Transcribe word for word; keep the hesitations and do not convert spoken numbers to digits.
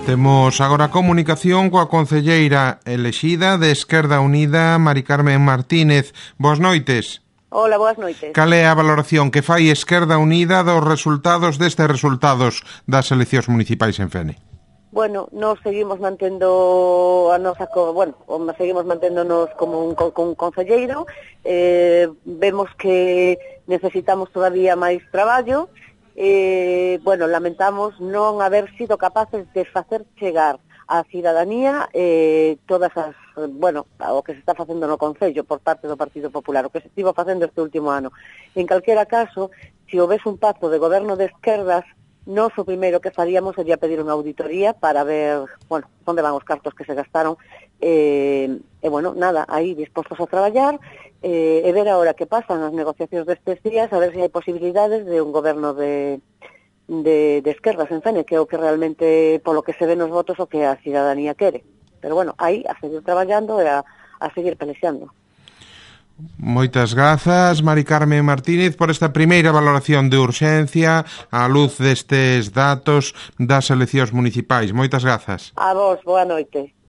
Temos agora a comunicación coa concelleira elexida de Esquerda Unida, Mari Carmen Martínez. Boas noites. Hola, boas noites. Cal é a valoración que fai Esquerda Unida dos resultados destes resultados das eleccións municipais en Fene? Bueno, nos seguimos mantendo a nosa, bueno, seguimos manténdonos como un, como un concelleiro, eh, vemos que necesitamos todavía máis traballo, eh, bueno, lamentamos non haber sido capaces de facer chegar á cidadanía eh, todas as, bueno, o que se está facendo no Concello por parte do Partido Popular, o que se estivo facendo este último ano. En calquera caso, se houvese un pacto de goberno de esquerdas, nós o primeiro que faríamos sería pedir unha auditoría para ver, bueno, onde van os cartos que se gastaron, e, e bueno, nada, aí dispostos a traballar, e, e ver agora que pasan as negociacións destes días, a ver se hai posibilidades de un goberno de, de, de esquerdas en Fene, que é o que realmente, polo que se ve nos votos, o que a cidadanía quere. Pero bueno, aí a seguir traballando e a, a seguir pelexando. Moitas grazas, Mari Carmen Martínez, por esta primeira valoración de urxencia á luz destes datos das eleccións municipais. Moitas grazas. A vos, boa noite.